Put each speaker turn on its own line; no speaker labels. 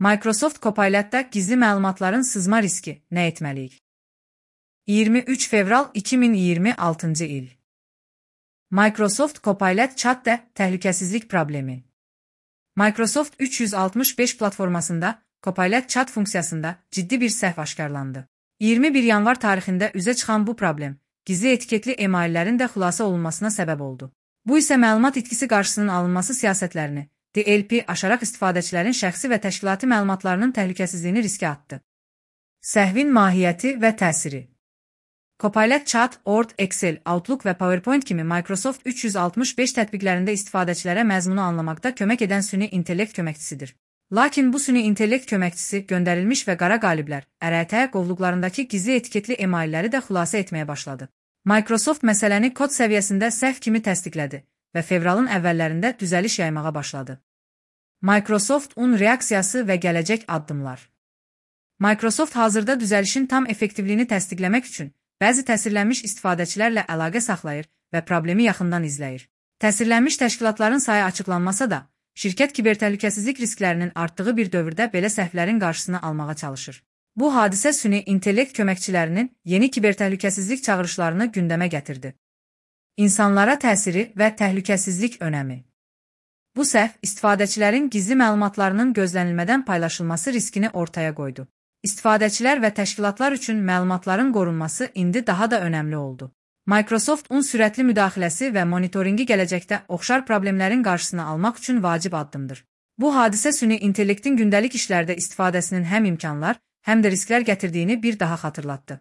Microsoft Copilot'da gizli məlumatların sızma riski nə etməliyik? 23 fevral 2026 il. Microsoft Copilot chatdə təhlükəsizlik problemi. Microsoft 365 platformasında Copilot chat funksiyasında ciddi bir səhv aşkarlandı. 21 yanvar tarixində üzə çıxan bu problem, gizli etiketli emaillərin də xülasə olunmasına səbəb oldu. Bu isə məlumat itkisi qarşısının alınması siyasətlərini, DLP aşaraq istifadəçilərin şəxsi və təşkilati məlumatlarının təhlükəsizliyini riskə atdı. Səhvin mahiyyəti və təsiri. Copilot Chat, Word, Excel, Outlook və PowerPoint kimi Microsoft 365 tətbiqlərində istifadəçilərə məzmunu anlamaqda kömək edən süni intellekt köməkçisidir. Lakin bu süni intellekt köməkçisi göndərilmiş və qara qaliblər, ƏRT qovluqlarındakı gizli etiketli emailləri də xülasə etməyə başladı. Microsoft məsələni kod səviyyəsində səhv kimi təsdiqlədi və fevralın əvvəllərində düzəliş yaymağa başladı. Microsoft-un reaksiyası və gələcək addımlar. Microsoft hazırda düzəlişin tam effektivliyini təsdiqləmək üçün bəzi təsirlənmiş istifadəçilərlə əlaqə saxlayır və problemi yaxından izləyir. Təsirlənmiş təşkilatların sayı açıqlanmasa da, şirkət kibertəhlükəsizlik risklərinin artdığı bir dövrdə belə səhvlərin qarşısını almağa çalışır. Bu hadisə süni intellekt köməkçilərinin yeni kibertəhlükəsizlik çağırışlarını gündəmə gətirdi. İnsanlara təsiri və təhlükəsizlik önəmi. Bu səhv istifadəçilərin gizli məlumatlarının gözlənilmədən paylaşılması riskini ortaya qoydu. İstifadəçilər və təşkilatlar üçün məlumatların qorunması indi daha da önəmli oldu. Microsoft-un sürətli müdaxiləsi və monitoringi gələcəkdə oxşar problemlərin qarşısını almaq üçün vacib addımdır. Bu hadisə süni intellektin gündəlik işlərdə istifadəsinin həm imkanlar, həm də risklər gətirdiyini bir daha xatırlatdı.